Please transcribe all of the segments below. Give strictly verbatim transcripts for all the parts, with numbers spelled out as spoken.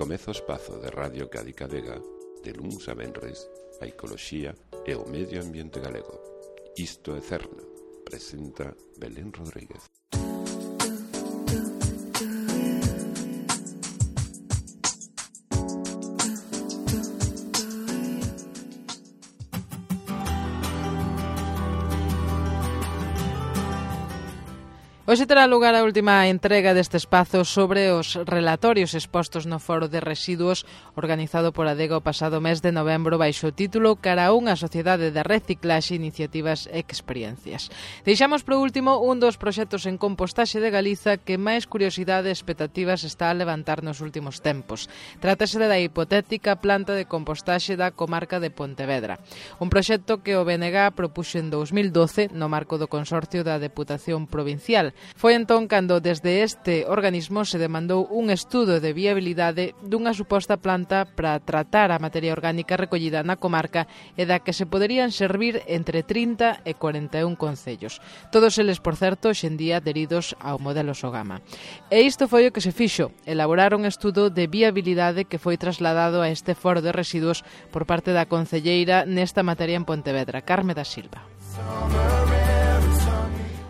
Comeza o espazo de Radio Cádiz Vega de luns a venres a ecoloxía e o medio ambiente galego. Isto é Cerna, presenta Belén Rodríguez. Hoxe terá lugar a última entrega deste espazo sobre os relatorios expostos no Foro de Residuos organizado por Adega o pasado mes de novembro baixo o título Cara a unha sociedade de reciclaxe, iniciativas e experiencias. Deixamos por último un dos proxectos en compostaxe de Galiza que máis curiosidade e expectativas está a levantar nos últimos tempos. Trátase da hipotética planta de compostaxe da comarca de Pontevedra. Un proxecto que o B N G propuxo en dous mil doce no marco do Consorcio da Deputación Provincial. Foi entón cando desde este organismo se demandou un estudo de viabilidade dunha suposta planta para tratar a materia orgánica recollida na comarca e da que se poderían servir entre trinta e cuarenta e un concellos. Todos eles, por certo, hoxendía adheridos ao modelo Sogama. E isto foi o que se fixo, elaborar un estudo de viabilidade que foi trasladado a este foro de residuos por parte da concelleira nesta materia en Pontevedra, Carme da Silva.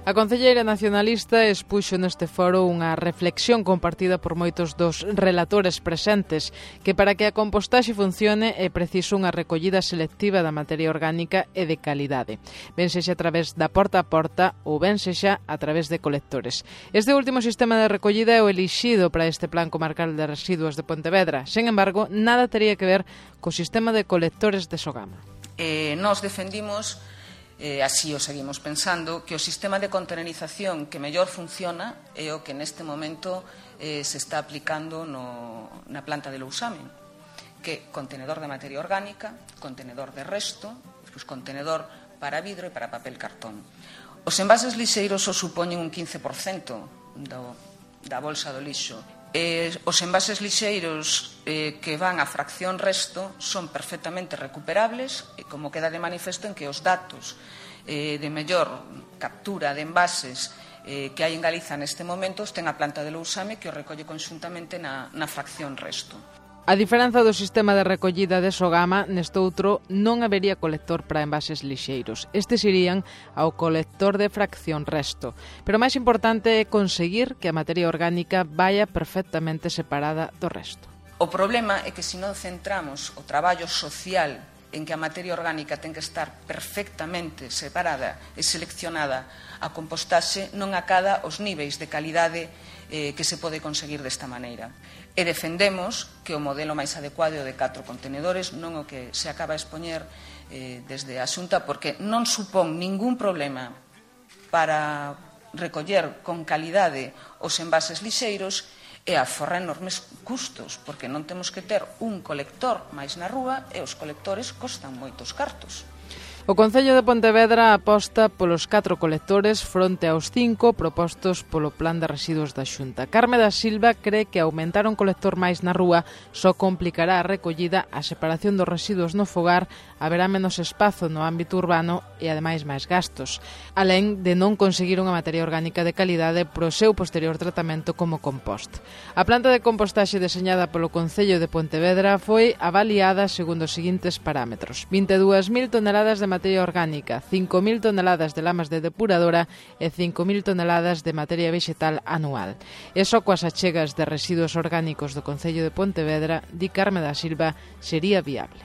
A concelleira nacionalista expuxo neste foro unha reflexión compartida por moitos dos relatores presentes que para que a compostaxe funcione é preciso unha recollida selectiva da materia orgánica e de calidade, ben sexa a través da porta a porta ou ben sexa a través de colectores. Este último sistema de recollida é o elixido para este Plan Comarcal de Residuos de Pontevedra. Sen embargo, nada tería que ver co sistema de colectores de Sogama. Eh, nos defendimos Eh, así o seguimos pensando, que o sistema de contenerización que mellor funciona é o que neste momento eh, se está aplicando no, na planta de Lousame, que é contenedor de materia orgánica, contenedor de resto, pues, contenedor para vidro e para papel cartón. Os envases lixeiros o supoñen un quince por cento do, da bolsa do lixo. Eh, os envases lixeiros eh, que van a fracción resto son perfectamente recuperables e como queda de manifesto en que os datos eh, de mellor captura de envases eh, que hai en Galiza neste momento ten a planta de Lousame que o recolle conxuntamente na, na fracción resto. A diferenza do sistema de recollida de Sogama, nestoutro non habería colector para envases lixeiros. Estes irían ao colector de fracción resto. Pero o máis importante é conseguir que a materia orgánica vaya perfectamente separada do resto. O problema é que se non centramos o traballo social en que a materia orgánica ten que estar perfectamente separada e seleccionada a compostaxe, non acada os niveis de calidade eh, que se pode conseguir desta maneira. E defendemos que o modelo máis adecuado é o de catro contenedores, non o que se acaba de expoñer eh, desde a Xunta, porque non supón ningún problema para recoller con calidade os envases lixeiros e aforra enormes custos, porque non temos que ter un colector máis na rúa e os colectores costan moitos cartos. O Concello de Pontevedra aposta polos catro colectores fronte aos cinco propostos polo Plan de Residuos da Xunta. Carme da Silva cree que aumentar un colector máis na rúa só complicará a recollida, a separación dos residuos no fogar, haberá menos espazo no ámbito urbano e, ademais, máis gastos, alén de non conseguir unha materia orgánica de calidade pro seu posterior tratamento como compost. A planta de compostaxe deseñada polo Concello de Pontevedra foi avaliada segundo os seguintes parámetros: vinte e dúas mil toneladas de materia orgánica, cinco mil toneladas de lamas de depuradora e cinco mil toneladas de materia vegetal anual. E só coas achegas de residuos orgánicos do Concello de Pontevedra, di Carme da Silva, sería viable.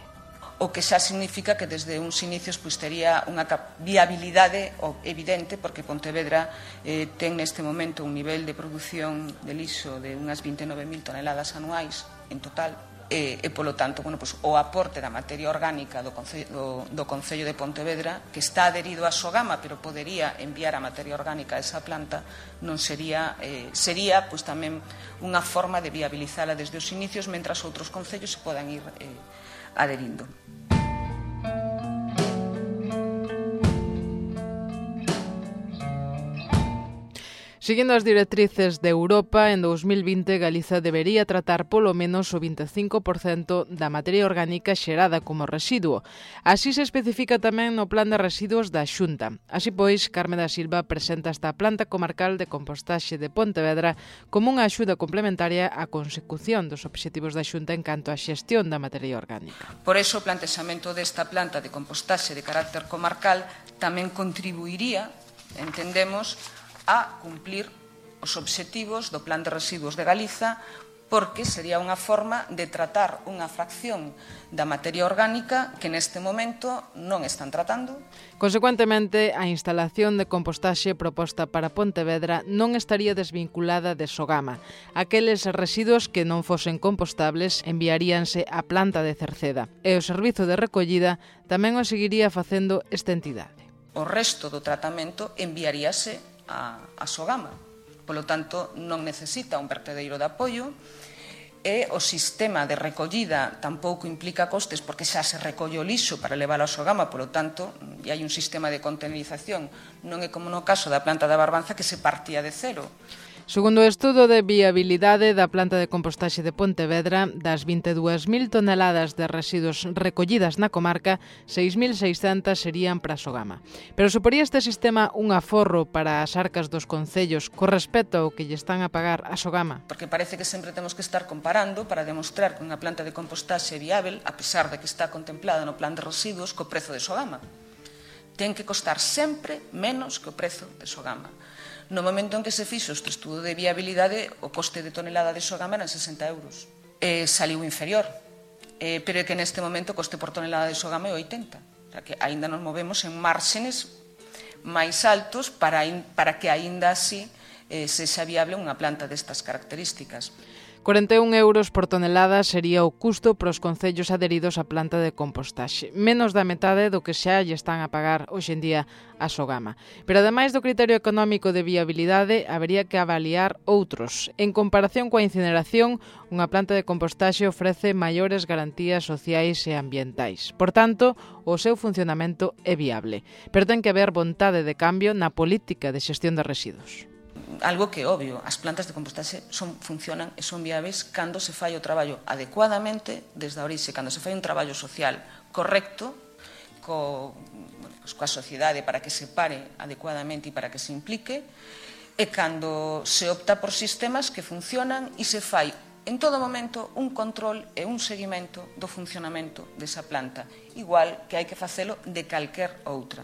O que xa significa que desde uns inicios pois, tería unha viabilidade evidente, porque Pontevedra eh, ten neste momento un nivel de produción de lixo de unhas vinte e nove mil toneladas anuais en total, e, e polo tanto, bueno, pues, o aporte da materia orgánica do Concello, do, do Concello de Pontevedra, que está adherido a Sogama, pero podería enviar a materia orgánica a esa planta, non sería, eh, sería pues, tamén unha forma de viabilizala desde os inicios, mentras outros concellos se podan ir eh, adherindo. Seguindo as directrices de Europa, en dous mil vinte Galiza debería tratar polo menos o vinte e cinco por cento da materia orgánica xerada como residuo. Así se especifica tamén no Plan de Residuos da Xunta. Así pois, Carme da Silva presenta esta planta comarcal de compostaxe de Pontevedra como unha axuda complementaria á consecución dos obxectivos da Xunta en canto á xestión da materia orgánica. Por iso, o plantexamento desta planta de compostaxe de carácter comarcal tamén contribuiría, entendemos, a cumplir os obxectivos do Plan de Residuos de Galiza, porque sería unha forma de tratar unha fracción da materia orgánica que neste momento non están tratando. Consecuentemente, a instalación de compostaxe proposta para Pontevedra non estaría desvinculada de Sogama. Aqueles residuos que non fosen compostables enviaríanse á planta de Cerceda e o servizo de recollida tamén o seguiría facendo esta entidade. O resto do tratamento enviaríase a, a Sogama. Polo tanto, non necesita un vertedeiro de apoio e o sistema de recollida tampouco implica costes porque xa se recolle o lixo para leválo a Sogama, polo tanto, e hai un sistema de contenerización. Non é como no caso da planta da Barbanza que se partía de cero. Segundo o estudo de viabilidade da planta de compostaxe de Pontevedra, das vinte e dúas mil toneladas de residuos recollidas na comarca, seis mil seiscentas serían para Sogama. Pero suporía este sistema un aforro para as arcas dos concellos co respecto ao que lle están a pagar a Sogama? Porque parece que sempre temos que estar comparando para demostrar que unha planta de compostaxe é viável, a pesar de que está contemplada no plan de residuos, co prezo de Sogama. Ten que costar sempre menos que o prezo de Sogama. No momento en que se fixo este estudo de viabilidade, o coste de tonelada de Sogama eran sesenta euros. Eh, saliu inferior, eh, pero é que neste momento o coste por tonelada de Sogama é oitenta. O sea, que aínda nos movemos en márxenes máis altos para, para que aínda así eh, sexa viable unha planta destas características. cuarenta e un euros por tonelada sería o custo para os concellos adheridos á planta de compostaxe, menos da metade do que xa lle están a pagar hoxe en día a Sogama. Pero ademais do criterio económico de viabilidade, habería que avaliar outros. En comparación coa incineración, unha planta de compostaxe ofrece maiores garantías sociais e ambientais. Por tanto, o seu funcionamento é viable. Pero ten que haber vontade de cambio na política de xestión de residuos. Algo que é obvio, as plantas de compostaxe son, funcionan e son viáveis cando se fai o traballo adecuadamente desde a orixe, cando se fai un traballo social correcto co, bueno, pues, coa sociedade para que se pare adecuadamente e para que se implique, e cando se opta por sistemas que funcionan e se fai en todo momento un control e un seguimento do funcionamento desa planta, igual que hai que facelo de calquer outra.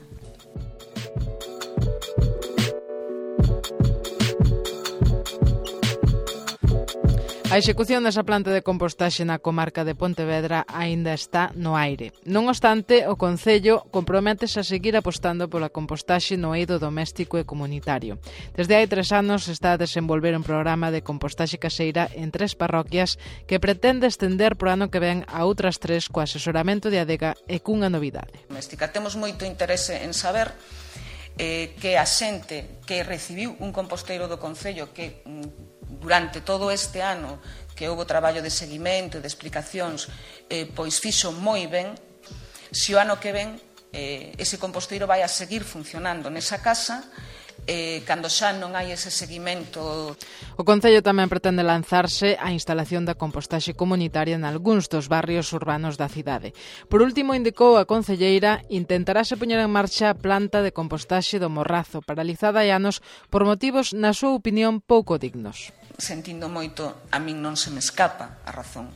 A execución desa planta de compostaxe na comarca de Pontevedra aínda está no aire. Non obstante, o Concello comprométese a seguir apostando pola compostaxe no eido doméstico e comunitario. Desde hai tres anos está a desenvolver un programa de compostaxe caseira en tres parroquias que pretende estender pro ano que ven a outras tres co asesoramento de Adega e cunha novidade. Doméstica, temos moito interese en saber eh, que a xente que recibiu un composteiro do Concello que durante todo este ano que houve traballo de seguimento e de explicacións, eh, pois fixo moi ben, se o ano que ven eh, ese composteiro vai a seguir funcionando nesa casa, eh, cando xa non hai ese seguimento. O Concello tamén pretende lanzarse á instalación da compostaxe comunitaria en algúns dos barrios urbanos da cidade. Por último, indicou a concelleira, intentarase poñer en marcha a planta de compostaxe do Morrazo, paralizada hai anos por motivos, na súa opinión, pouco dignos. Sentindo moito, a min non se me escapa a razón.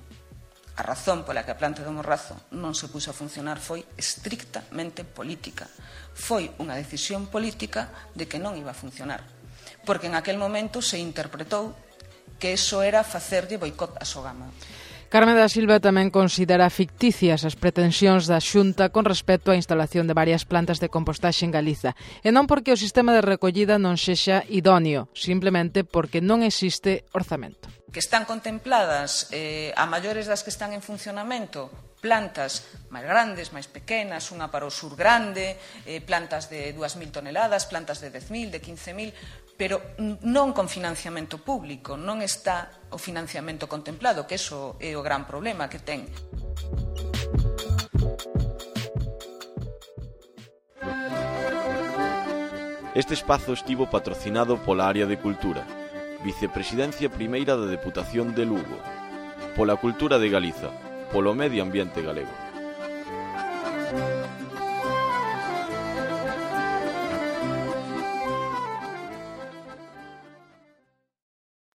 A razón pola que a planta do Morrazo non se puxo a funcionar foi estrictamente política. Foi unha decisión política de que non iba a funcionar. Porque en aquel momento se interpretou que eso era facerlle boicot a Sogama. Carme da Silva tamén considera ficticias as pretensións da Xunta con respecto á instalación de varias plantas de compostaxe en Galiza, e non porque o sistema de recollida non sexa idóneo, simplemente porque non existe orzamento. Que están contempladas eh, a maiores das que están en funcionamento, plantas máis grandes, máis pequenas, unha para o sur grande, eh, plantas de dúas mil toneladas, plantas de dez mil, de quince mil, pero non con financiamento público, non está o financiamento contemplado, que iso é o gran problema que ten. Este espazo estivo patrocinado pola área de Cultura, Vicepresidencia Primeira da Deputación de Lugo, pola Cultura de Galiza, polo Medio Ambiente Galego.